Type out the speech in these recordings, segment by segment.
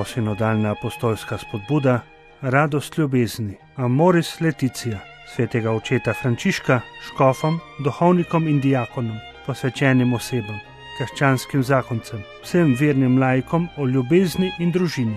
novosinodalna apostolska spodbuda, radost ljubezni, Amoris Laetitia, svetega očeta Frančiška, škofom, duhovnikom in diakonom, posvečenim osebam, krščanskim zakoncem, vsem vernim laikom o ljubezni in družini.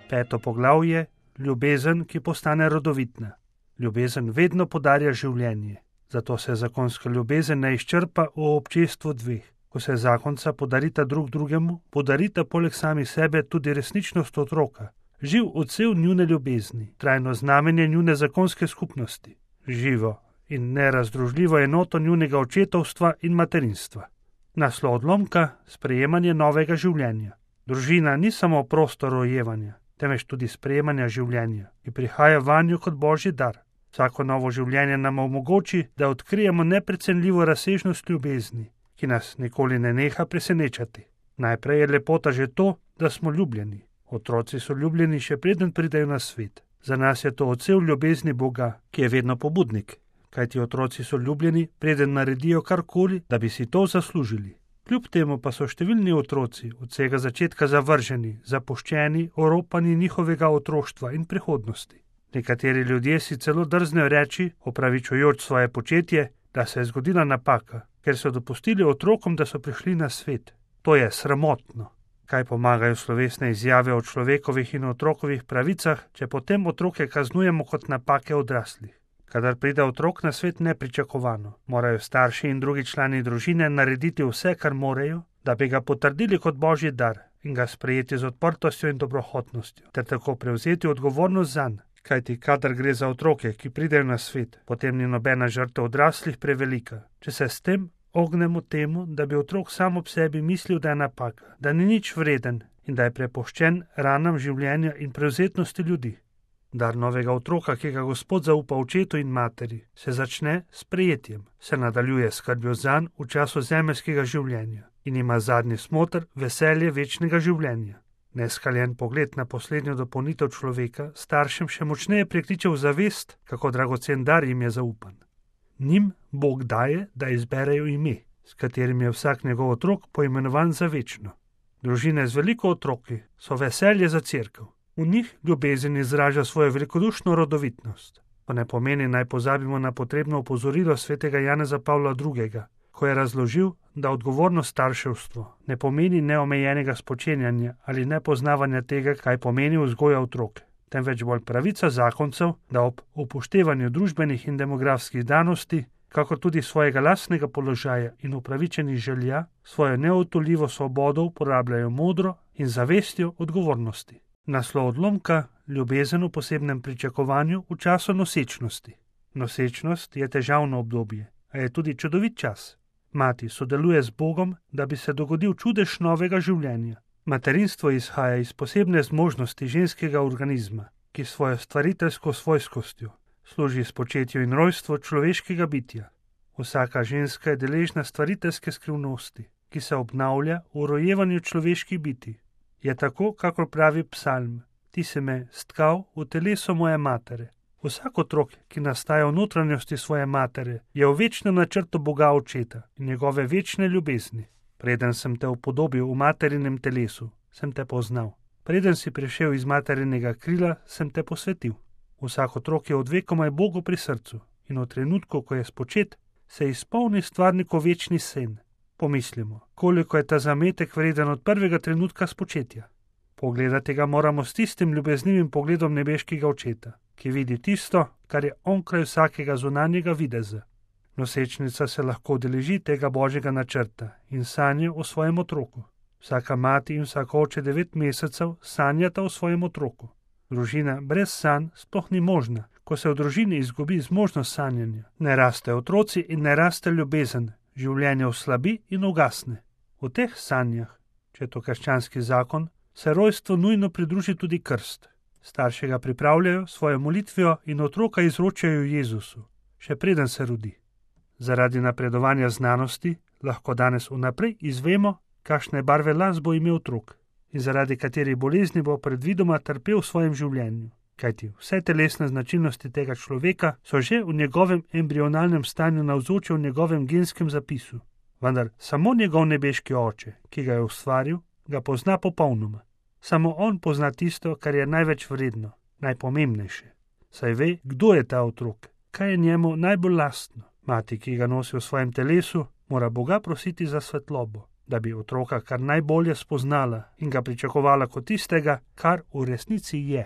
5. poglavje: ljubezen, ki postane rodovitna. Ljubezen vedno podarja življenje, zato se zakonska ljubezen ne izčrpa v občestvu dveh. Ko se zakonca podarita drug drugemu, podarita poleg sami sebe tudi resničnost otroka, živ odsev njune ljubezni, trajno znamenje njune zakonske skupnosti, živo in nerazdružljivo enoto njunega očetovstva in materinstva. Naslov odlomka: sprejemanje novega življenja. Družina ni samo prostor rojevanja, temveč tudi sprejemanja življenja, ki prihaja vanjo kot božji dar. Vsako novo življenje nam omogoči, da odkrijemo neprecenljivo razsežnost ljubezni, ki nas nikoli ne neha presenečati. Najprej je lepota že to, da smo ljubljeni. Otroci so ljubljeni še preden pridejo na svet. Za nas je to odsev ljubezni Boga, ki je vedno pobudnik, kajti otroci so ljubljeni, preden naredijo karkoli, da bi si to zaslužili. Kljub temu pa so številni otroci od vsega začetka zavrženi, zapuščeni, oropani njihovega otroštva in prihodnosti. Nekateri ljudje si celo drznejo reči, opravičujoč svoje početje, da se je zgodila napaka, ker so dopustili otrokom, da so prišli na svet. To je sramotno. Kaj pomagajo slovesne izjave o človekovih in otrokovih pravicah, če potem otroke kaznujemo kot napake odraslih? Kadar pride otrok na svet nepričakovano, morajo starši in drugi člani družine narediti vse, kar morejo, da bi ga potrdili kot božji dar in ga sprejeti z odprtostjo in dobrohotnostjo, ter tako prevzeti odgovornost zanj. Kajti kadar gre za otroke, ki pridejo na svet, potem ni nobena žrtev odraslih prevelika. Če se s tem ognemo temu, da bi otrok sam ob sebi mislil, da je napaka, da ni nič vreden in da je prepuščen ranam življenja in prevzetnosti ljudi. Dar novega otroka, ki ga Gospod zaupa očetu in materi, se začne s prejetjem, se nadaljuje s skrbjo zanj v času zemeljskega življenja in ima zadnji smoter veselje večnega življenja. Neskaljen pogled na poslednjo dopolnitev človeka staršem še močneje prekliče v zavest, kako dragocen dar jim je zaupan. Njim Bog daje, da izberejo ime, s katerim je vsak njegov otrok poimenovan za večno. Družine z veliko otroki so veselje za cerkev. V njih ljubezen izraža svojo velikodušno rodovitnost. To ne pomeni, naj pozabimo na potrebno opozorilo svetega Janeza Pavla II., ko je razložil, da odgovorno starševstvo ne pomeni neomejenega spočenjanja ali nepoznavanja tega, kaj pomeni vzgoja otrok, temveč bolj pravica zakoncev, da ob upoštevanju družbenih in demografskih danosti, kakor tudi svojega lastnega položaja in upravičenih želja, svojo neodtujljivo svobodo uporabljajo modro in zavestjo odgovornosti. Naslov odlomka: ljubezen v posebnem pričakovanju v času nosečnosti. Nosečnost je težavno obdobje, a je tudi čudovit čas. Mati sodeluje z Bogom, da bi se dogodil čudež novega življenja. Materinstvo izhaja iz posebne zmožnosti ženskega organizma, ki svojo stvariteljsko svojskostjo služi spočetju in rojstvu človeškega bitja. Vsaka ženska je deležna stvariteljske skrivnosti, ki se obnavlja v rojevanju človeških bitij. Je tako, kakor pravi psalm: ti si me stkal v telesu moje matere. Vsak otrok, ki nastaja v notranjosti svoje matere, je v večnem načrtu Boga Očeta in njegove večne ljubezni. Preden sem te upodobil v materinem telesu, sem te poznal. Preden si prišel iz materinega krila, sem te posvetil. Vsak otrok je od vekomaj Bogu pri srcu in v trenutku, ko je spočet, se izpolni stvarnikov večni sen. Pomislimo, koliko je ta zametek vreden od prvega trenutka spočetja. Pogledati ga moramo s tistim ljubeznivim pogledom nebeškega Očeta, ki vidi tisto, kar je onkraj vsakega zunanjega videza. Nosečnica se lahko udeleži tega božjega načrta in sanja o svojem otroku. Vsaka mati in vsak oče 9 mesecev sanjata o svojem otroku. Družina brez sanj sploh ni možna. Ko se v družini izgubi zmožnost sanjanja, ne raste otroci in ne raste ljubezen, življenje oslabi in ugasne. V teh sanjah, če je to krščanski zakon, se rojstvu nujno pridruži tudi krst. Starši ga pripravljajo svojo molitvijo in otroka izročajo Jezusu, še preden se rodi. Zaradi napredovanja znanosti lahko danes vnaprej izvemo, kakšne barve las bo imel otrok in zaradi katerih bolezni bo predvidoma trpel v svojem življenju. Kajti vse telesne značilnosti tega človeka so že v njegovem embrionalnem stanju navzoče v njegovem genskem zapisu. Vendar samo njegov nebeški oče, ki ga je ustvaril, ga pozna popolnoma. Samo on pozna tisto, kar je največ vredno, najpomembnejše. Saj ve, kdo je ta otrok, kaj je njemu najbolj lastno. Mati, ki ga nosi v svojem telesu, mora Boga prositi za svetlobo, da bi otroka kar najbolje spoznala in ga pričakovala kot tistega, kar v resnici je.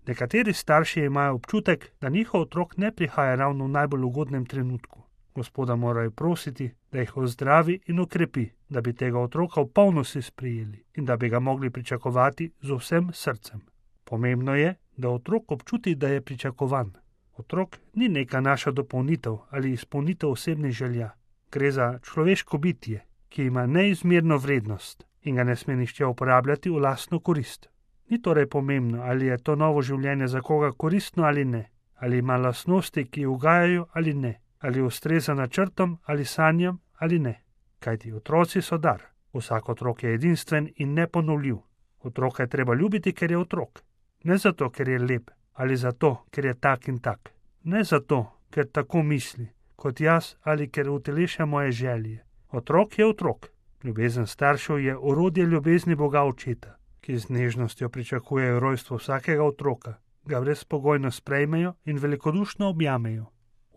Nekateri starši imajo občutek, da njihov otrok ne prihaja ravno v najbolj ugodnem trenutku. Gospoda morajo prositi, da jih ozdravi in okrepi, da bi tega otroka v polnosti sprijeli in da bi ga mogli pričakovati z vsem srcem. Pomembno je, da otrok občuti, da je pričakovan. Otrok ni neka naša dopolnitev ali izpolnitev osebnih želja. Gre za človeško bitje, ki ima neizmerno vrednost in ga ne sme nihče uporabljati v lastno korist. Ni torej pomembno, ali je to novo življenje za koga koristno ali ne, ali ima lastnosti, ki ugajajo ali ne, ali ustreza načrtom ali sanjam ali ne. Kajti otroci so dar. Vsak otrok je edinstven in neponovljiv. Otroka je treba ljubiti, ker je otrok. Ne zato, ker je lep, ali zato, ker je tak in tak. Ne zato, ker tako misli, kot jaz, ali ker uteleša moje želje. Otrok je otrok. Ljubezen staršev je orodje ljubezni Boga Očeta, ki z nežnostjo pričakujejo rojstvo vsakega otroka, ga brezpogojno sprejmejo in velikodušno objamejo.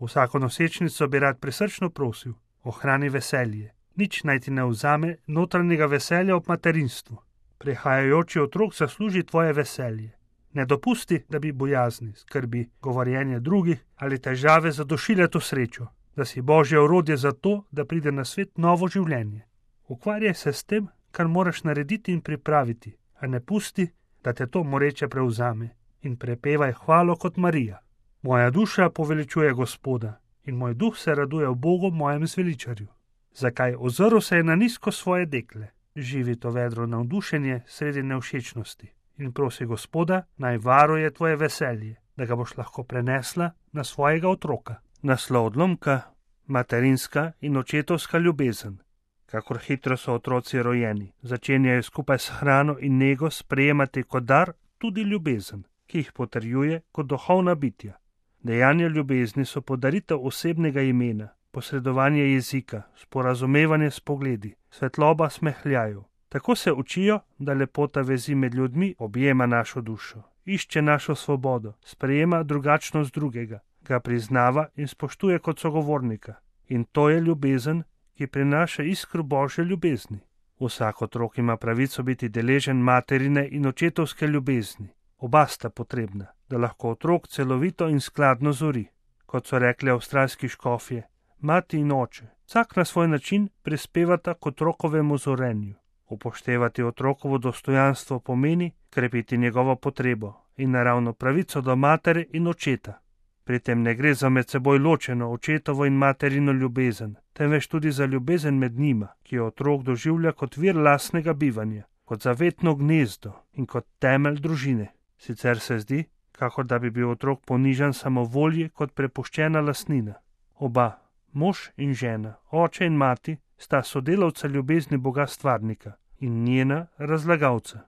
Vsako nosečnico bi rad prisrčno prosil, ohrani veselje. Nič naj ti ne vzame notranjega veselja ob materinstvu. Prihajajoči otrok zasluži tvoje veselje. Ne dopusti, da bi bojazni, skrbi, govorjenje drugih ali težave zadušile to srečo, da si Božje orodje za to, da pride na svet novo življenje. Ukvarjaj se s tem, kar moraš narediti in pripraviti, a ne pusti, da te to moreče prevzame in prepevaj hvalo kot Marija. Moja duša poveličuje Gospoda in moj duh se raduje v Bogu mojem zveličarju. Zakaj? Ozrl se je na nizko svoje dekle. Živi to vedro navdušenje sredi nevšečnosti in prosi Gospoda, naj varuje tvoje veselje, da ga boš lahko prenesla na svojega otroka. Naslov odlomka: materinska in očetovska ljubezen. Kakor hitro so otroci rojeni, začenjajo skupaj s hrano in nego sprejemati kot dar tudi ljubezen, ki jih potrjuje kot duhovna bitja. Dejanja ljubezni so podaritev osebnega imena, posredovanje jezika, sporazumevanje s pogledi, svetloba smehljajev. Tako se učijo, da lepota vezi med ljudmi objema našo dušo, išče našo svobodo, sprejema drugačnost drugega, ga priznava in spoštuje kot sogovornika. In to je ljubezen, ki prinaša iskro Božje ljubezni. Vsak otrok ima pravico biti deležen materine in očetovske ljubezni. Oba sta potrebna, da lahko otrok celovito in skladno zori. Kot so rekli avstralski škofje, mati in oče, vsak na svoj način prispevata k otrokovemu zorenju. Upoštevati otrokovo dostojanstvo pomeni krepiti njegovo potrebo in naravno pravico do matere in očeta. Pri tem ne gre za med seboj ločeno očetovo in materino ljubezen, temveč tudi za ljubezen med njima, ki jo otrok doživlja kot vir lastnega bivanja, kot zavetno gnezdo in kot temelj družine. Sicer se zdi, kakor da bi bil otrok ponižan samovolji kot prepuščena lastnina. Oba, mož in žena, oče in mati, sta sodelavca ljubezni Boga Stvarnika in njena razlagalca.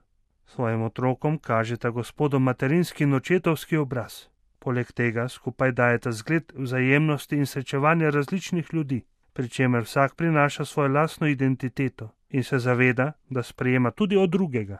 Svojim otrokom kažeta Gospodu materinski in očetovski obraz. Poleg tega skupaj dajeta zgled vzajemnosti in srečevanja različnih ljudi, pri čemer vsak prinaša svojo lastno identiteto in se zaveda, da sprejema tudi od drugega.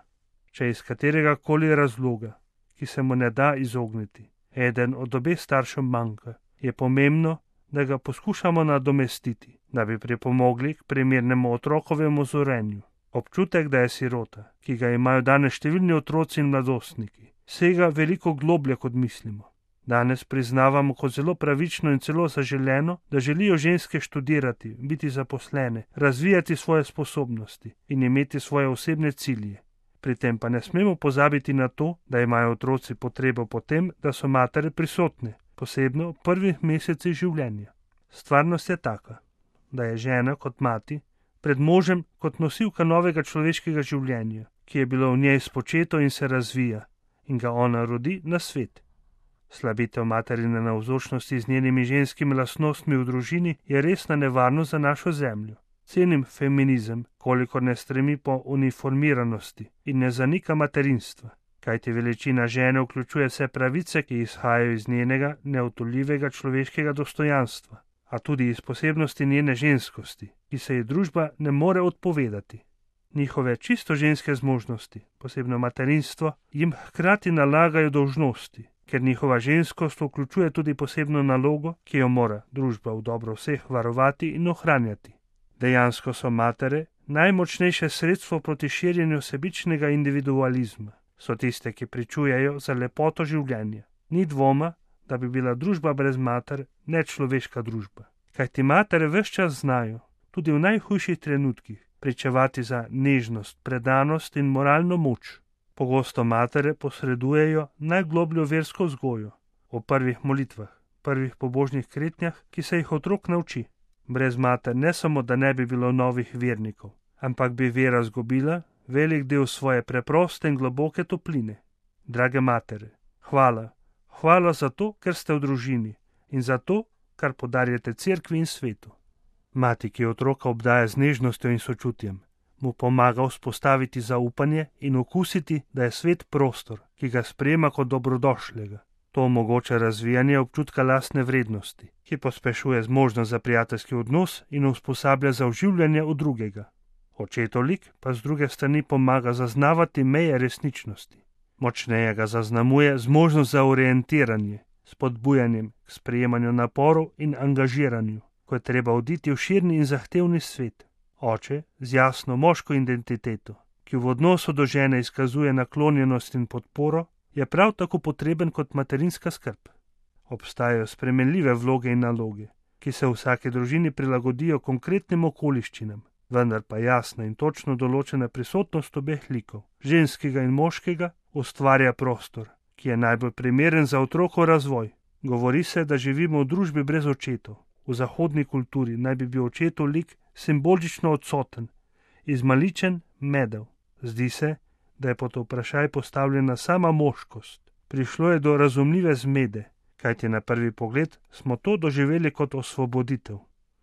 Če iz katerega koli razloga, ki se mu ne da izogniti, eden od obeh staršev manjka, je pomembno, da ga poskušamo nadomestiti, da bi pripomogli k primernemu otrokovemu zorenju. Občutek, da je sirota, ki ga imajo danes številni otroci in mladostniki, sega veliko globlje, kot mislimo. Danes priznavamo kot zelo pravično in celo zaželeno, da želijo ženske študirati, biti zaposlene, razvijati svoje sposobnosti in imeti svoje osebne cilje. Pri tem pa ne smemo pozabiti na to, da imajo otroci potrebo po tem, da so matere prisotne, posebno v prvih mesecih življenja. Stvarnost je taka, da je žena kot mati pred možem kot nosilka novega človeškega življenja, ki je bilo v njej spočeto in se razvija, in ga ona rodi na svet. Slabitev materine navzočnosti z njenimi ženskimi lastnostmi v družini je resna nevarnost za našo zemljo. Cenim feminizem, kolikor ne stremi po uniformiranosti in ne zanika materinstva, kajti veličina žene vključuje vse pravice, ki izhajajo iz njenega neodtujljivega človeškega dostojanstva, a tudi iz posebnosti njene ženskosti, ki se ji družba ne more odpovedati. Njihove čisto ženske zmožnosti, posebno materinstvo, jim hkrati nalagajo dolžnosti, ker njihova ženskost vključuje tudi posebno nalogo, ki jo mora družba v dobro vseh varovati in ohranjati. Dejansko so matere najmočnejše sredstvo proti širjenju sebičnega individualizma. So tiste, ki pričujejo za lepoto življenja. Ni dvoma, da bi bila družba brez mater nečloveška družba. Kajti matere ves čas znajo, tudi v najhujših trenutkih, pričevati za nežnost, predanost in moralno moč. Pogosto matere posredujejo najglobljo versko vzgojo o prvih molitvah, prvih pobožnih kretnjah, ki se jih otrok nauči. Brez mater ne samo, da ne bi bilo novih vernikov, ampak bi vera zgubila velik del svoje preproste in globoke topline. Drage matere, hvala. Hvala za to, ker ste v družini in za to, kar podarjate cerkvi in svetu. Mati, ki otroka obdaja z nežnostjo in sočutjem, mu pomaga vzpostaviti zaupanje in okusiti, da je svet prostor, ki ga sprejema kot dobrodošlega. To omogoča razvijanje občutka lastne vrednosti, ki pospešuje zmožnost za prijateljski odnos in usposablja za vživljanje v drugega. Očetov lik pa z druge strani pomaga zaznavati meje resničnosti. Močneje ga zaznamuje zmožnost za orientiranje, spodbujanjem k sprejemanju naporov in angažiranju, ko je treba oditi v širni in zahtevni svet. Oče z jasno moško identiteto, ki v odnosu do žene izkazuje naklonjenost in podporo, je prav tako potreben kot materinska skrb. Obstajajo spremenljive vloge in naloge, ki se v vsaki družini prilagodijo konkretnim okoliščinam, vendar pa jasna in točno določena prisotnost obeh likov, ženskega in moškega, ustvarja prostor, ki je najbolj primeren za otrokov razvoj. Govori se, da živimo v družbi brez očetov. V zahodni kulturi naj bi bil očetov lik simbolično odsoten, izmaličen, medel. Zdi se, da je pod vprašaj postavljena sama moškost. Prišlo je do razumljive zmede, kajti na prvi pogled smo to doživeli kot osvoboditev.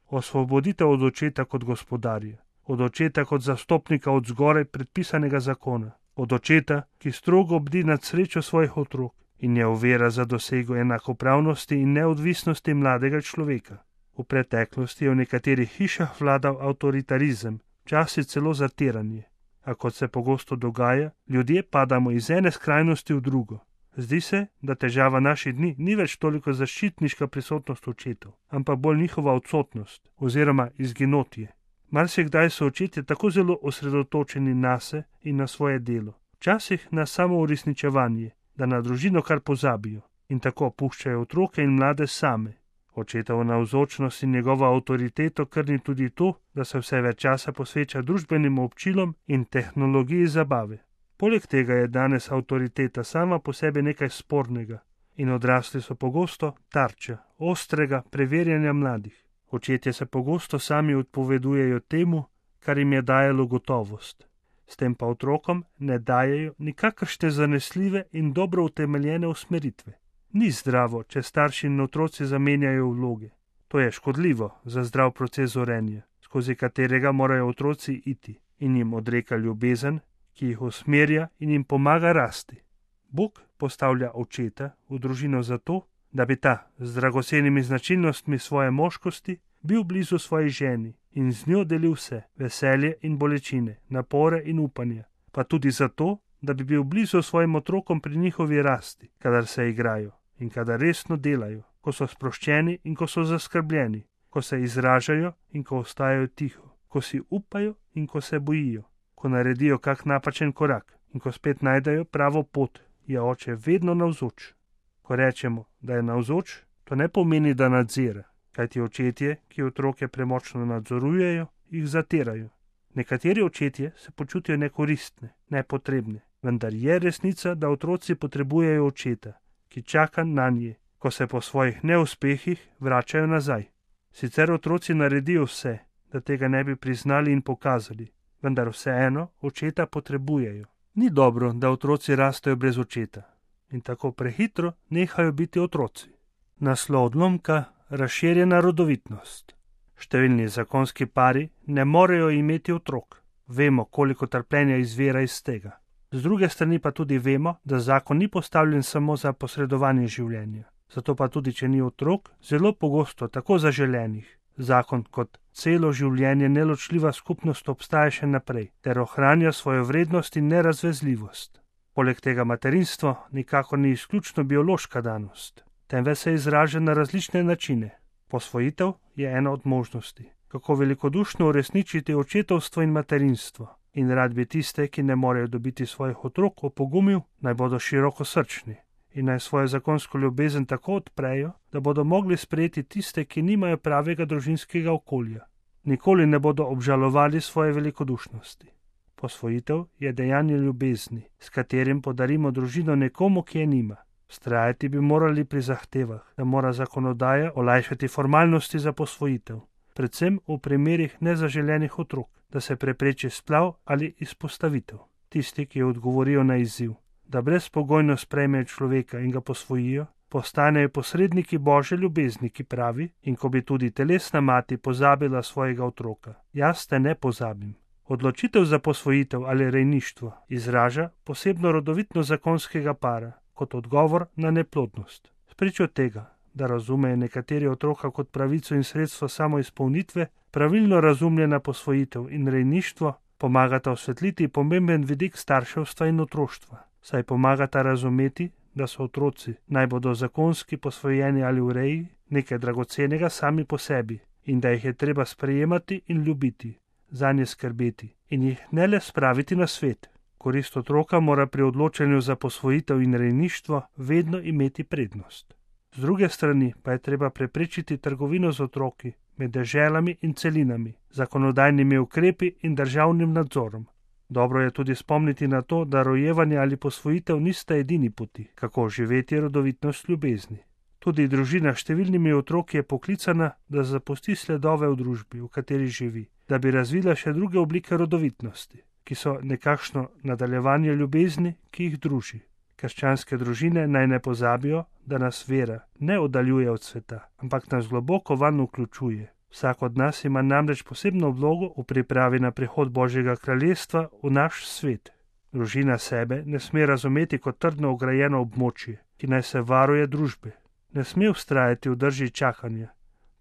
Osvoboditev od očeta kot gospodarja, od očeta kot zastopnika od zgoraj predpisanega zakona, od očeta, ki strogo bdi nad srečo svojih otrok in je ovira za dosego enakopravnosti in neodvisnosti mladega človeka. V preteklosti je v nekaterih hišah vladal avtoritarizem, včasih celo zatiranje. A kot se pogosto dogaja, ljudje padamo iz ene skrajnosti v drugo. Zdi se, da težava naših dni ni več toliko zaščitniška prisotnost očetov, ampak bolj njihova odsotnost oziroma izginotje. Marsikdaj so očetje tako zelo osredotočeni nase in na svoje delo, včasih na samo uresničevanje, da na družino kar pozabijo in tako puščajo otroke in mlade same. Očetova navzočnost in njegova avtoriteto krni tudi to, da se vse več časa posveča družbenim občilom in tehnologiji zabave. Poleg tega je danes avtoriteta sama po sebi nekaj spornega in odrasli so pogosto tarča ostrega preverjanja mladih. Očetje se pogosto sami odpovedujejo temu, kar jim je dajalo gotovost. S tem pa otrokom ne dajejo nikakršne zanesljive in dobro utemeljene usmeritve. Ni zdravo, če starši in otroci zamenjajo vloge. To je škodljivo za zdrav proces zorenja, skozi katerega morajo otroci iti in jim odreka ljubezen, ki jih usmerja in jim pomaga rasti. Bog postavlja očeta v družino zato, da bi ta z dragocenimi značilnostmi svoje moškosti bil blizu svoji ženi in z njo delil vse, veselje in bolečine, napore in upanja, pa tudi zato, da bi bil blizu svojim otrokom pri njihovi rasti, kadar se igrajo in kadar resno delajo, ko so sproščeni in ko so zaskrbljeni, ko se izražajo in ko ostajajo tiho, ko si upajo in ko se bojijo, ko naredijo kak napačen korak in ko spet najdejo pravo pot, je oče vedno navzoč. Ko rečemo, da je navzoč, to ne pomeni, da nadzira, kajti očetje, ki otroke premočno nadzorujejo, jih zatirajo. Nekateri očetje se počutijo nekoristne, nepotrebne, vendar je resnica, da otroci potrebujejo očeta, ki čaka nanje, ko se po svojih neuspehih vračajo nazaj. Sicer otroci naredijo vse, da tega ne bi priznali in pokazali, vendar vseeno očeta potrebujejo. Ni dobro, da otroci rastejo brez očeta in tako prehitro nehajo biti otroci. Naslov odlomka: razširjena rodovitnost. Številni zakonski pari ne morejo imeti otrok. Vemo, koliko trpljenja izvira iz tega. Z druge strani pa tudi vemo, da zakon ni postavljen samo za posredovanje življenja. Zato pa tudi, če ni otrok, zelo pogosto tako zaželenih, zakon kot celo življenje neločljiva skupnost obstaja še naprej, ter ohranja svojo vrednost in nerazvezljivost. Poleg tega materinstvo nikakor ni izključno biološka danost, temveč se izraža na različne načine. Posvojitev je ena od možnosti, kako velikodušno uresničiti očetovstvo in materinstvo. In rad bi tiste, ki ne morejo dobiti svojih otrok, opogumil, naj bodo širokosrčni in naj svojo zakonsko ljubezen tako odprejo, da bodo mogli sprejeti tiste, ki nimajo pravega družinskega okolja. Nikoli ne bodo obžalovali svoje velikodušnosti. Posvojitev je dejanje ljubezni, s katerim podarimo družino nekomu, ki je nima. Vztrajati bi morali pri zahtevah, da mora zakonodaja olajšati formalnosti za posvojitev, predvsem v primerih nezaželenih otrok, da se prepreči splav ali izpostavitev. Tisti, ki odgovorijo na izziv, da brezpogojno sprejmejo človeka in ga posvojijo, postanejo posredniki Božje ljubezni, ki pravi: in ko bi tudi telesna mati pozabila svojega otroka, jaz te ne pozabim. Odločitev za posvojitev ali rejništvo izraža posebno rodovitnost zakonskega para kot odgovor na neplodnost. Spričo tega, da razumejo nekateri otroka kot pravico in sredstvo samoizpolnitve, pravilno razumljena posvojitev in rejništvo pomagata osvetliti pomemben vidik starševstva in otroštva, saj pomagata razumeti, da so otroci, naj bodo zakonski posvojeni ali v reji, nekaj dragocenega sami po sebi in da jih je treba sprejemati in ljubiti, zanje skrbeti in jih ne le spraviti na svet. Korist otroka mora pri odločanju za posvojitev in rejništvo vedno imeti prednost. Z druge strani pa je treba preprečiti trgovino z otroki med deželami in celinami, zakonodajnimi ukrepi in državnim nadzorom. Dobro je tudi spomniti na to, da rojevanje ali posvojitev nista edini poti, kako živeti rodovitnost ljubezni. Tudi družina s številnimi otroki je poklicana, da zapusti sledove v družbi, v kateri živi, da bi razvila še druge oblike rodovitnosti, ki so nekakšno nadaljevanje ljubezni, ki jih druži. Krščanske družine naj ne pozabijo, da nas vera ne oddaljuje od sveta, ampak nas globoko vanj vključuje. Vsak od nas ima namreč posebno vlogo v pripravi na prihod Božjega kraljestva v naš svet. Družina sebe ne sme razumeti kot trdno ograjeno območje, ki naj se varuje družbe. Ne sme vztrajati v drži čakanja,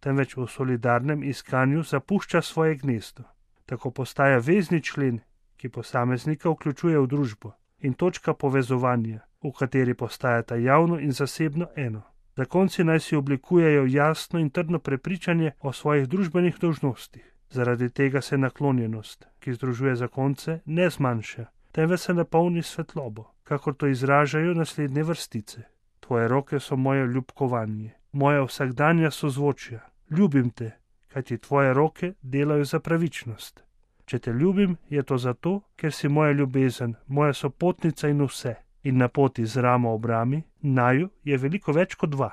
temveč v solidarnem iskanju zapušča svoje gnezdo. Tako postaja vezni člen, ki posameznika vključuje v družbo, in točka povezovanja, v kateri postajata javno in zasebno eno. Zakonci naj si oblikujejo jasno in trdno prepričanje o svojih družbenih dolžnostih. Zaradi tega se naklonjenost, ki združuje zakonce, ne zmanjša, temveč se napolni svetlobo, kakor to izražajo naslednje vrstice. Tvoje roke so moje ljubkovanje, moja vsakdanja sozvočja. Ljubim te, kajti tvoje roke delajo za pravičnost. Če te ljubim, je to zato, ker si moja ljubezen, moja sopotnica in vse. In na poti z ramo ob rami, naju je veliko več kot dva.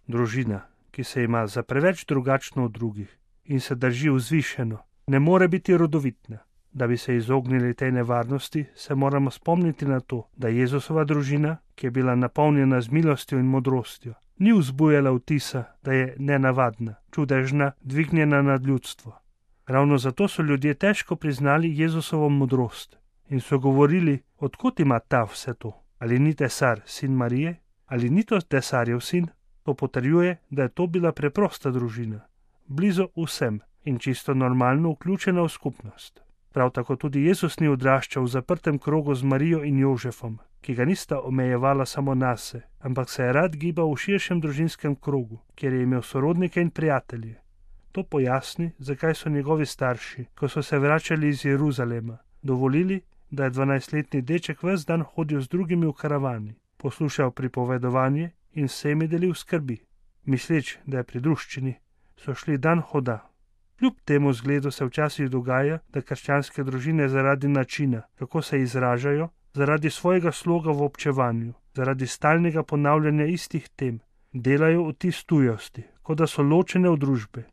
Družina, ki se ima za preveč drugačno od drugih in se drži vzvišeno, ne more biti rodovitna. Da bi se izognili tej nevarnosti, se moramo spomniti na to, da Jezusova družina, ki je bila napolnjena z milostjo in modrostjo, ni vzbujala vtisa, da je nenavadna, čudežna, dvignjena nad ljudstvo. Ravno zato so ljudje težko priznali Jezusovo modrost in so govorili, odkot ima ta vse to. Ali ni tesar sin Marije? Ali ni to tesarjev sin? To potrjuje, da je to bila preprosta družina, blizu vsem in čisto normalno vključena v skupnost. Prav tako tudi Jezus ni odraščal v zaprtem krogu z Marijo in Jožefom, ki ga nista omejevala samo nase, ampak se je rad gibal v širšem družinskem krogu, kjer je imel sorodnike in prijatelje. To pojasni, zakaj so njegovi starši, ko so se vračali iz Jeruzalema, dovolili, da je 12-letni deček ves dan hodil z drugimi v karavani, poslušal pripovedovanje in vsemi delil skrbi. Misleč, da je pri druščini, so šli dan hoda. Kljub temu zgledu se včasih dogaja, da krščanske družine zaradi načina, kako se izražajo, zaradi svojega sloga v občevanju, zaradi stalnega ponavljanja istih tem, delajo vtis tujosti, kot da so ločene od družbe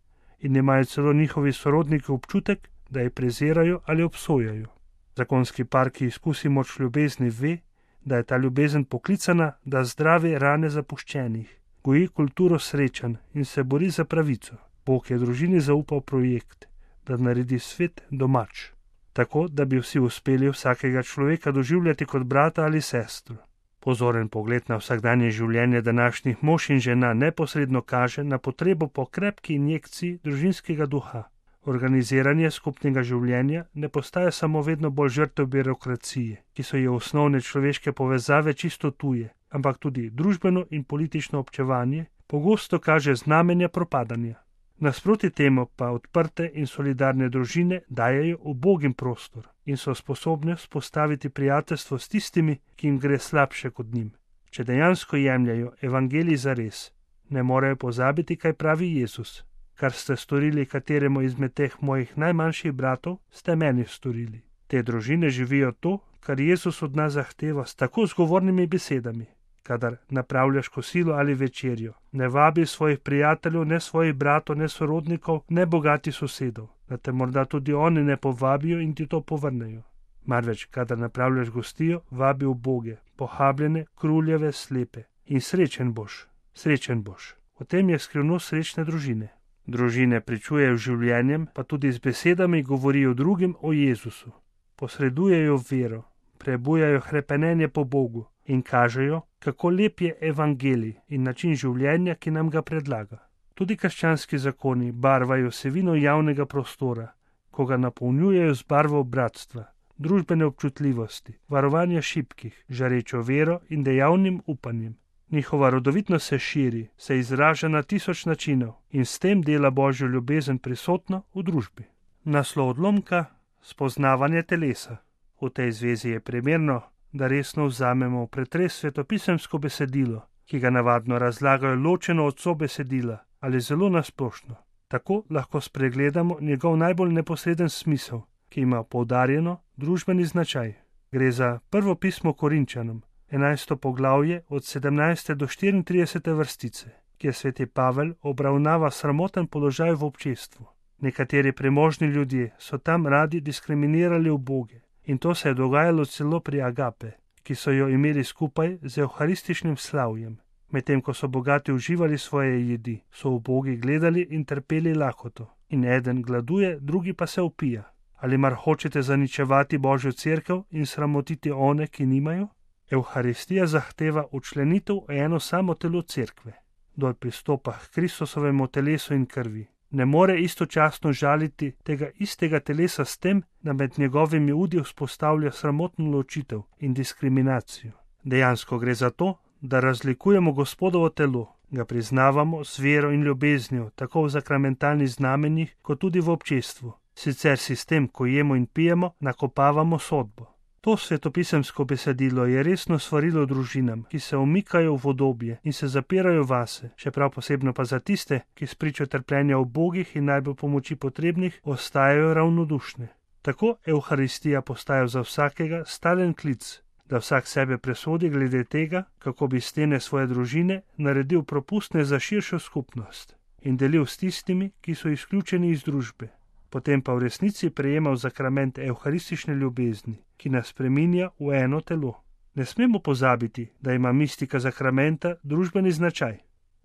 in imajo celo njihovi sorodniki občutek, da jih prezirajo ali obsojajo. Zakonski par, ki izkusi moč ljubezni, ve, da je ta ljubezen poklicana, da zdravi rane zapuščenih, goji kulturo srečanj in se bori za pravico. Bog je družini zaupal projekt, da naredi svet domač, tako da bi vsi uspeli vsakega človeka doživljati kot brata ali sestro. Pozoren pogled na vsakdanje življenje današnjih mož in žena neposredno kaže na potrebo po krepki injekciji družinskega duha. Organiziranje skupnega življenja ne postaja samo vedno bolj žrtev birokracije, ki so ji osnovne človeške povezave čisto tuje, ampak tudi družbeno in politično občevanje pogosto kaže znamenja propadanja. Nasproti temu pa odprte in solidarne družine dajejo ubogim prostor in so sposobne vzpostaviti prijateljstvo s tistimi, ki jim gre slabše kot njim. Če dejansko jemljajo evangelij zares, ne morejo pozabiti, kaj pravi Jezus. Kar ste storili kateremu izmed teh mojih najmanjših bratov, ste meni storili. Te družine živijo to, kar Jezus od nas zahteva s tako zgovornimi besedami. Kadar napravljaš kosilo ali večerjo, ne vabi svojih prijateljev, ne svojih bratov, ne sorodnikov, ne bogatih sosedov, da te morda tudi oni ne povabijo in ti to povrnejo. Marveč, kadar napravljaš gostijo, vabi uboge, pohabljene, kruljeve, slepe. In srečen boš, srečen boš. O tem je skrivnost srečne družine. Družine pričujejo življenjem, pa tudi z besedami govorijo drugim o Jezusu. Posredujejo vero, prebujajo hrepenenje po Bogu in kažejo, kako lep je evangelij in način življenja, ki nam ga predlaga. Tudi krščanski zakoni barvajo vsebino javnega prostora, ko ga napolnjujejo z barvo bratstva, družbene občutljivosti, varovanja šibkih, žarečo vero in dejavnim upanjem. Njihova rodovitnost se širi, se izraža na 1000 načinov in s tem dela Božjo ljubezen prisotno v družbi. Naslov odlomka: spoznavanje telesa. V tej zvezi je primerno, da resno vzamemo v pretres svetopisemsko besedilo, ki ga navadno razlagajo ločeno od sobesedila ali zelo nasplošno. Tako lahko spregledamo njegov najbolj neposreden smisel, ki ima poudarjeno družbeni značaj. Gre za prvo pismo Korinčanom, 11. poglavje od 17. do 34. vrstice, kjer sveti Pavel obravnava sramoten položaj v občestvu. Nekateri premožni ljudje so tam radi diskriminirali uboge in to se je dogajalo celo pri Agape, ki so jo imeli skupaj z evharističnim slavjem. Medtem ko so bogati uživali svoje jedi, so ubogi gledali in trpeli lakoto. In eden gladuje, drugi pa se opija. Ali mar hočete zaničevati Božjo cerkev in sramotiti one, ki nimajo? Evharistija zahteva učlenitev v eno samo telo cerkve. Kdor pristopa k Kristusovemu telesu in krvi, ne more istočasno žaliti tega istega telesa s tem, da med njegovimi udi vzpostavlja sramotno ločitev in diskriminacijo. Dejansko gre za to, da razlikujemo Gospodovo telo, ga priznavamo s vero in ljubeznijo, tako v zakramentalnih znamenjih, kot tudi v občestvu. Sicer sistem, ko jemo in pijemo, nakopavamo sodbo. To svetopisemsko besedilo je resno svarilo družinam, ki se umikajo v vodobje in se zapirajo vase, še prav posebno pa za tiste, ki spričo trpljenja ubogih in najbolj pomoči potrebnih ostajajo ravnodušne. Tako Evharistija postaja za vsakega stalen klic, da vsak sebe presodi glede tega, kako bi stene svoje družine naredil propustne za širšo skupnost in delil s tistimi, ki so izključeni iz družbe. Potem pa v resnici prejemal zakrament evharistične ljubezni, ki nas spreminja v eno telo. Ne smemo pozabiti, da ima mistika zakramenta družbeni značaj.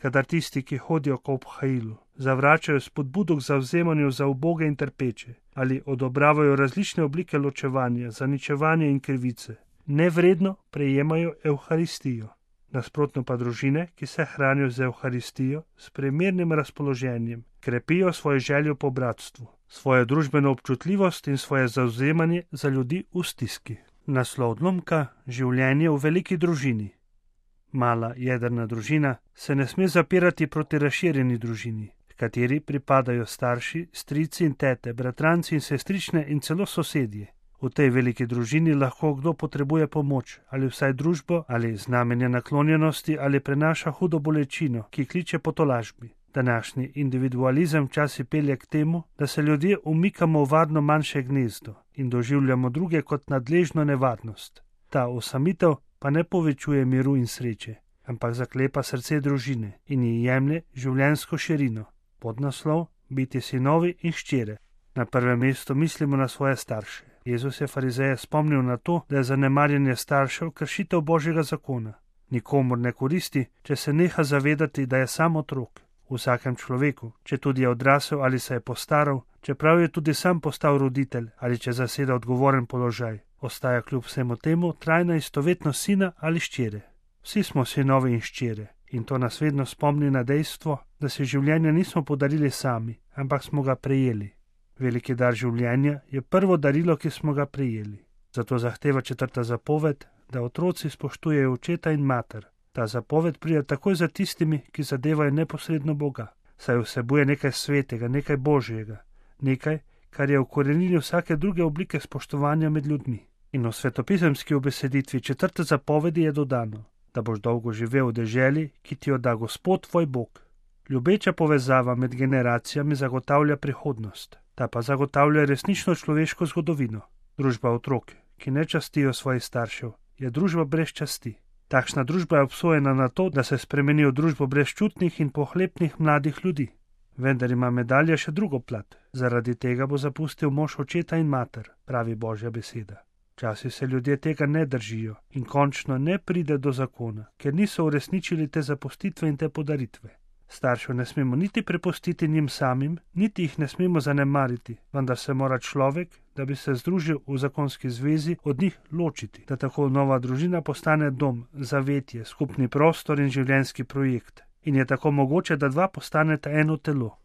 Kadar tisti, ki hodijo k obhajilu, zavračajo spodbudo k zavzemanju za uboge in trpeče ali odobravajo različne oblike ločevanja, zaničevanja in krivice, nevredno prejemajo evharistijo. Nasprotno pa družine, ki se hranijo z evharistijo, s primernim razpoloženjem, krepijo svojo željo po bratstvu, svojo družbeno občutljivost in svoje zavzemanje za ljudi v stiski. Naslov odlomka: življenje v veliki družini. Mala jedrna družina se ne sme zapirati proti razširjeni družini, kateri pripadajo starši, strici in tete, bratranci in sestrične in celo sosedje. V tej veliki družini lahko kdo potrebuje pomoč, ali vsaj družbo, ali znamenja naklonjenosti, ali prenaša hudo bolečino, ki kliče po tolažbi. Današnji individualizem včasih pelje k temu, da se ljudje umikamo v varno manjše gnezdo in doživljamo druge kot nadležno nevarnost. Ta osamitev pa ne povečuje miru in sreče, ampak zaklepa srce družine in ji jemlje življenjsko širino. Podnaslov: biti sinovi in hčere. Na prvem mestu mislimo na svoje starše. Jezus je farizeje spomnil na to, da je zanemarjanje staršev kršitev Božjega zakona. Nikomur ne koristi, če se neha zavedati, da je sam otrok. V vsakem človeku, če tudi je odrasel ali se je postaral, čeprav je tudi sam postal roditelj ali če zaseda odgovoren položaj, ostaja kljub vsemu temu trajna istovetnost sina ali hčere. Vsi smo sinovi in hčere in to nas vedno spomni na dejstvo, da si življenja nismo podarili sami, ampak smo ga prejeli. Veliki dar življenja je prvo darilo, ki smo ga prejeli. Zato zahteva 4. zapoved, da otroci spoštujejo očeta in mater. Ta zapoved pride takoj za tistimi, ki zadevajo neposredno Boga, saj vsebuje nekaj svetega, nekaj božjega, nekaj, kar je v korenini vsake druge oblike spoštovanja med ljudmi. In v svetopisemski ubeseditvi 4. zapovedi je dodano, da boš dolgo živel v deželi, ki ti jo da Gospod tvoj Bog. Ljubeča povezava med generacijami zagotavlja prihodnost, ta pa zagotavlja resnično človeško zgodovino. Družba otrok, ki ne častijo svojih staršev, je družba brez časti. Takšna družba je obsojena na to, da se spremeni v družbo brezčutnih in pohlepnih mladih ljudi. Vendar ima medalja še drugo plat. Zaradi tega bo zapustil mož očeta in mater, pravi Božja beseda. Včasih se ljudje tega ne držijo in končno ne pride do zakona, ker niso uresničili te zapustitve in te podaritve. Staršev ne smemo niti prepustiti njim samim, niti jih ne smemo zanemariti, vendar se mora človek, da bi se združil v zakonski zvezi, od njih ločiti, da tako nova družina postane dom, zavetje, skupni prostor in življenjski projekt. In je tako mogoče, da dva postaneta eno telo.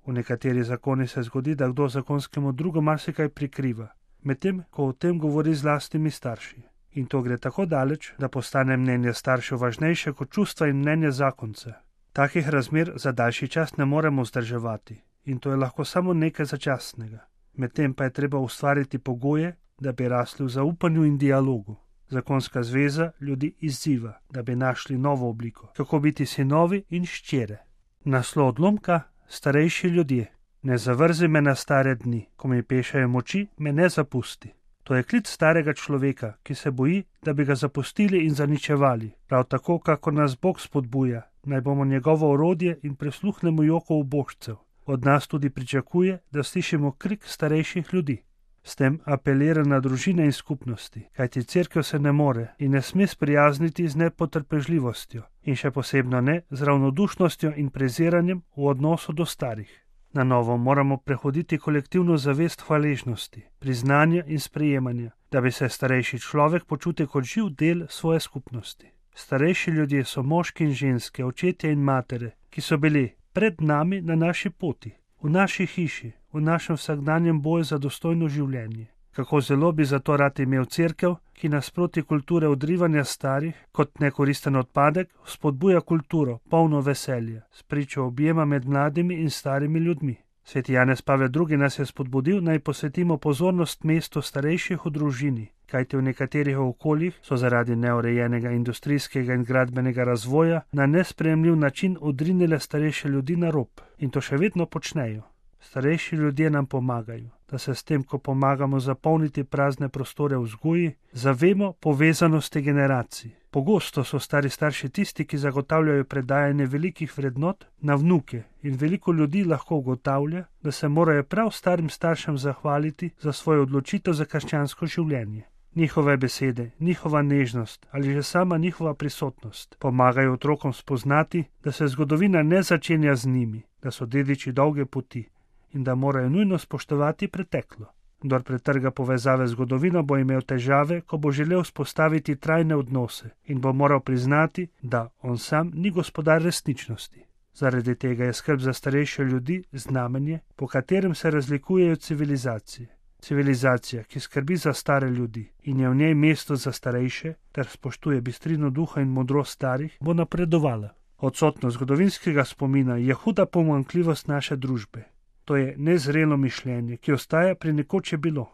V nekateri zakoni se zgodi, da kdo zakonskemu drugu marsikaj prikriva, medtem ko o tem govori z lastnimi starši. In to gre tako daleč, da postane mnenje staršev važnejše kot čustva in mnenje zakonca. Takih razmer za daljši čas ne moremo vzdrževati in to je lahko samo nekaj začasnega. Medtem pa je treba ustvariti pogoje, da bi rasli v zaupanju in dialogu. Zakonska zveza ljudi izziva, da bi našli novo obliko, kako biti sinovi in hčere. Naslov odlomka: starejši ljudje. Ne zavrzi me na stare dni, ko mi pešajo moči, me ne zapusti. To je klic starega človeka, ki se boji, da bi ga zapustili in zaničevali. Prav tako, kako nas Bog spodbuja, naj bomo njegovo orodje in prisluhnemo joku ubožcev. Od nas tudi pričakuje, da slišimo krik starejših ljudi. S tem apelira na družine in skupnosti, kajti cerkev se ne more in ne sme sprijazniti z nepotrpežljivostjo in še posebno ne z ravnodušnostjo in preziranjem v odnosu do starih. Na novo moramo prehoditi kolektivno zavest hvaležnosti, priznanja in sprejemanja, da bi se starejši človek počutil kot živ del svoje skupnosti. Starejši ljudje so moški in ženske, očetje in matere, ki so bili pred nami na naši poti, v naši hiši, v našem vsakdanjem boju za dostojno življenje. Kako zelo bi zato rad imel cerkev, ki nasproti kulture odrivanja starih kot nekoristen odpadek spodbuja kulturo, polno veselja, spričo objema med mladimi in starimi ljudmi. Sveti Janez Pavel II. Nas je spodbudil, naj posvetimo pozornost mestu starejših v družini, kajti v nekaterih okoljih so zaradi neurejenega industrijskega in gradbenega razvoja na nesprejemljiv način odrinile starejše ljudi na rob in to še vedno počnejo. Starejši ljudje nam pomagajo, da se s tem, ko pomagamo zapolniti prazne prostore v vzgoji, zavemo povezanosti generacij. Pogosto so stari starši tisti, ki zagotavljajo predajanje velikih vrednot na vnuke in veliko ljudi lahko ugotavlja, da se morajo prav starim staršem zahvaliti za svojo odločitev za krščansko življenje. Njihove besede, njihova nežnost ali že sama njihova prisotnost pomagajo otrokom spoznati, da se zgodovina ne začenja z njimi, da so dediči dolge poti in da morajo nujno spoštovati preteklo. Kdor pretrga povezave z zgodovino, bo imel težave, ko bo želel vzpostaviti trajne odnose in bo moral priznati, da on sam ni gospodar resničnosti. Zaradi tega je skrb za starejše ljudi znamenje, po katerem se razlikujejo civilizacije. Civilizacija, ki skrbi za stare ljudi in je v njej mesto za starejše, ter spoštuje bistrino duha in modrost starih, bo napredovala. Odsotnost zgodovinskega spomina je huda pomanjkljivost naše družbe. To je nezrelo mišljenje, ki ostaja pri nekoč je bilo.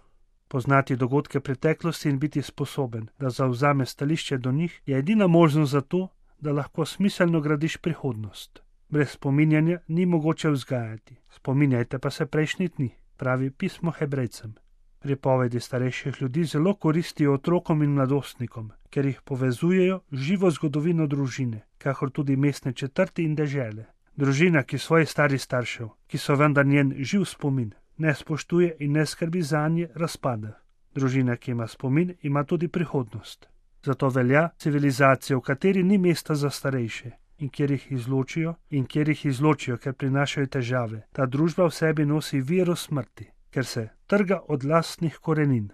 Poznati dogodke preteklosti in biti sposoben, da zavzame stališče do njih, je edina možnost za to, da lahko smiselno gradiš prihodnost. Brez spominjanja ni mogoče vzgajati. Spominjajte pa se prejšnjih dni, pravi pismo Hebrejcem. Pripovedi starejših ljudi zelo koristijo otrokom in mladostnikom, ker jih povezujejo živo zgodovino družine, kakor tudi mestne četrti in dežele. Družina, ki svojih starih staršev, ki so vendar njen živ spomin, ne spoštuje in ne skrbi zanje, razpada. Družina, ki ima spomin, ima tudi prihodnost. Zato velja civilizacija, v kateri ni mesta za starejše in kjer jih izločijo, ker prinašajo težave. Ta družba v sebi nosi viro smrti, ker se trga od lastnih korenin.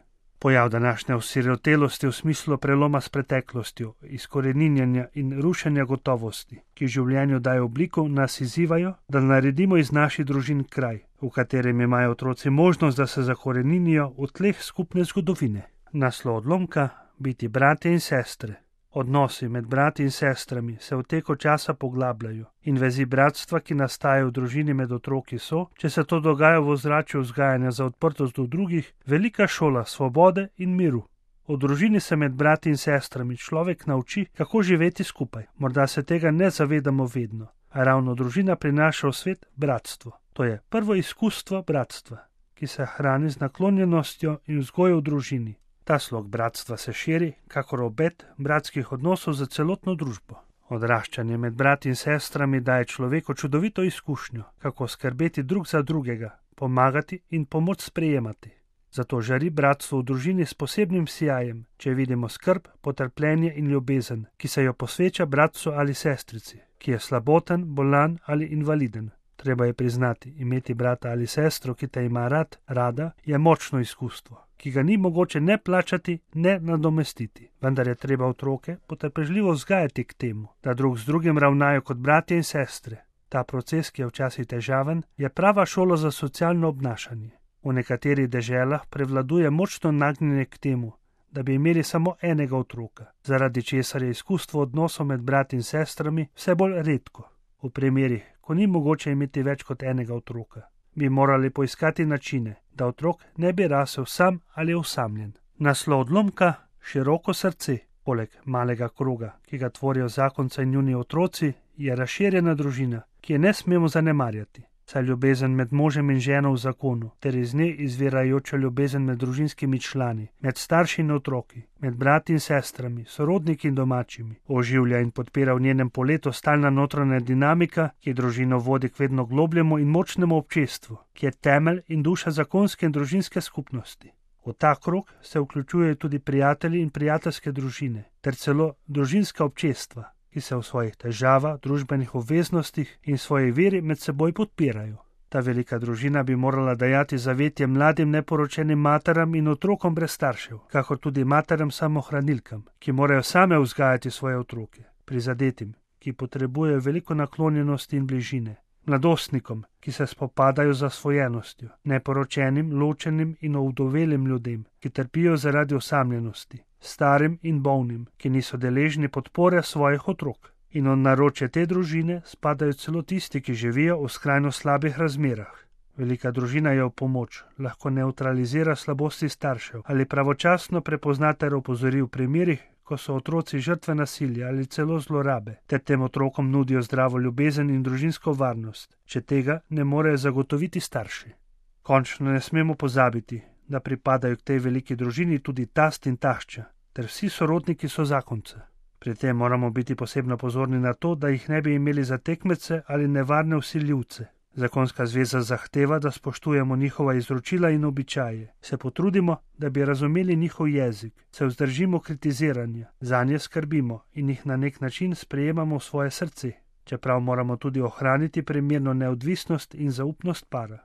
Pojav današnje osirotelosti v smislu preloma s preteklostjo, izkoreninjanja in rušenja gotovosti, ki življenju dajo obliko, nas izzivajo, da naredimo iz naših družin kraj, v katerem imajo otroci možnost, da se zakoreninijo v tleh skupne zgodovine. Naslov odlomka: biti bratje in sestre. Odnosi med brati in sestrami se v teku časa poglabljajo in vezi bratstva, ki nastajajo v družini med otroki, so, če se to dogaja v ozračju vzgajanja za odprtost do drugih, velika šola svobode in miru. V družini se med brati in sestrami človek nauči, kako živeti skupaj. Morda se tega ne zavedamo vedno, a ravno družina prinaša v svet bratstvo. To je prvo izkustvo bratstva, ki se hrani z naklonjenostjo in vzgojo v družini. Ta slog bratstva se širi, kakor obet bratskih odnosov za celotno družbo. Odraščanje med brati in sestrami daje človeku čudovito izkušnjo, kako skrbeti drug za drugega, pomagati in pomoč sprejemati. Zato žari bratstvo v družini s posebnim sijajem, če vidimo skrb, potrpljenje in ljubezen, ki se jo posveča bratcu ali sestrici, ki je slaboten, bolan ali invaliden. Treba je priznati, imeti brata ali sestro, ki te ima rad, rada, je močno izkustvo, ki ga ni mogoče ne plačati, ne nadomestiti. Vendar je treba otroke potrpežljivo vzgajati k temu, da drug z drugim ravnajo kot bratje in sestre. Ta proces, ki je včasih težaven, je prava šola za socialno obnašanje. V nekaterih deželah prevladuje močno nagnjenje k temu, da bi imeli samo enega otroka, zaradi česar je izkustvo odnosov med brati in sestrami vse bolj redko. V primerih, ko ni mogoče imeti več kot enega otroka, bi morali poiskati načine, da otrok ne bi rasel sam ali osamljen. Naslov odlomka: široko srce. Poleg malega kroga, ki ga tvorijo zakonca in njuni otroci, je razširjena družina, ki je ne smemo zanemarjati. Saj ljubezen med možem in ženo v zakonu, ter iz nje izvirajoča ljubezen med družinskimi člani, med starši in otroki, med brati in sestrami, sorodniki in domačimi, oživlja in podpira v njenem poletu stalna notranja dinamika, ki družino vodi k vedno globljemu in močnemu občestvu, ki je temelj in duša zakonske in družinske skupnosti. V ta krog se vključujejo tudi prijatelji in prijateljske družine, ter celo družinska občestva, ki se v svojih težavah, družbenih obveznostih in svoji veri med seboj podpirajo. Ta velika družina bi morala dajati zavetje mladim neporočenim materam in otrokom brez staršev, kakor tudi materam samohranilkam, ki morajo same vzgajati svoje otroke, prizadetim, ki potrebujejo veliko naklonjenosti in bližine, mladostnikom, ki se spopadajo z zasvojenostjo, neporočenim, ločenim in ovdovelim ljudem, ki trpijo zaradi osamljenosti, starim in bolnim, ki niso deležni podpore svojih otrok. In od naročja te družine spadajo celo tisti, ki živijo v skrajno slabih razmerah. Velika družina je v pomoč, lahko nevtralizira slabosti staršev ali pravočasno prepozna ter opozori v primerih, ko so otroci žrtve nasilja ali celo zlorabe, ter tem otrokom nudijo zdravo ljubezen in družinsko varnost, če tega ne morejo zagotoviti starši. Končno ne smemo pozabiti, da pripadajo k tej veliki družini tudi tast in tašča, ter vsi sorodniki so zakonca. Pri tem moramo biti posebno pozorni na to, da jih ne bi imeli za tekmece ali nevarne vsiljivce. Zakonska zveza zahteva, da spoštujemo njihova izročila in običaje, se potrudimo, da bi razumeli njihov jezik, se vzdržimo kritiziranja, zanje skrbimo in jih na nek način sprejemamo v svoje srce, čeprav moramo tudi ohraniti primerno neodvisnost in zaupnost para.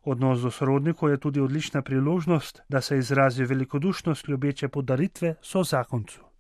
Odnos do sorodnikov je tudi odlična priložnost, da se izrazi velikodušnost ljubeče podaritve sozakoncu.